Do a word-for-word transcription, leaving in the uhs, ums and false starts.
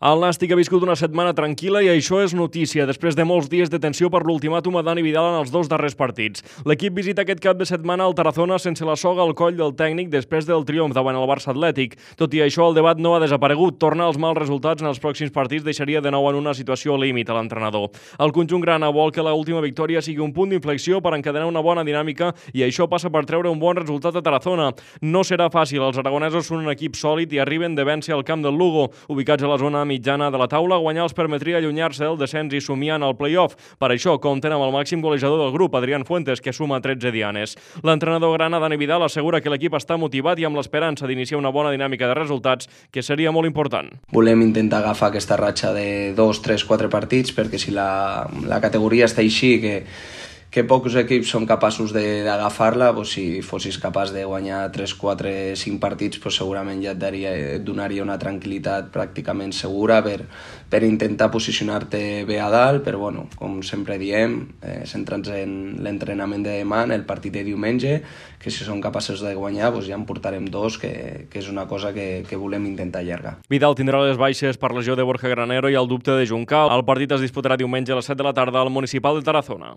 El Nàstic ha viscut una setmana tranquil·la i això és notícia, després de molts dies de tensió per l'ultimàtum a Dani Vidal en els dos darrers partits. L'equip visita aquest cap de setmana al Tarazona sense la soga al coll del tècnic després del triomf davant el Barça Atlètic. Tot i això, el debat no ha desaparegut. Tornar als mals resultats en els pròxims partits deixaria de nou en una situació límit a l'entrenador. El conjunt grana vol que l'última victòria sigui un punt d'inflexió per encadenar una bona dinàmica i això passa per treure un bon resultat a Tarazona. No serà fàcil, els aragonesos són un equip sòlid i arriben de vèncer al camp del Lugo, ubicats a la zona mitjana de la taula. Guanyar els permetria allunyar-se del descens i somiar en el play-off. Per això compten amb el màxim golejador del grup, Adrián Fuentes, que suma tretze dianes. L'entrenador grana, Dani Vidal, assegura que l'equip està motivat i amb l'esperança d'iniciar una bona dinàmica de resultats, que seria molt important. Volem intentar agafar aquesta ratxa de dos, tres, quatre partits, perquè si la, la categoria està així, que que pocs equips són capaços d'agafar-la, doncs si fossis capaç de guanyar tres, quatre, cinc partits, doncs segurament ja et, daria, et donaria una tranquil·litat pràcticament segura per, per intentar posicionar-te bé a dalt, però bueno, com sempre diem, eh, centrats en l'entrenament de demà, en el partit de diumenge, que si som capaços de guanyar doncs ja en portarem dos, que, que és una cosa que, que volem intentar allargar. Vidal tindrà les baixes per lesió de Borja Granero i el dubte de Juncal. El partit es disputarà diumenge a les set de la tarda al Municipal de Tarazona.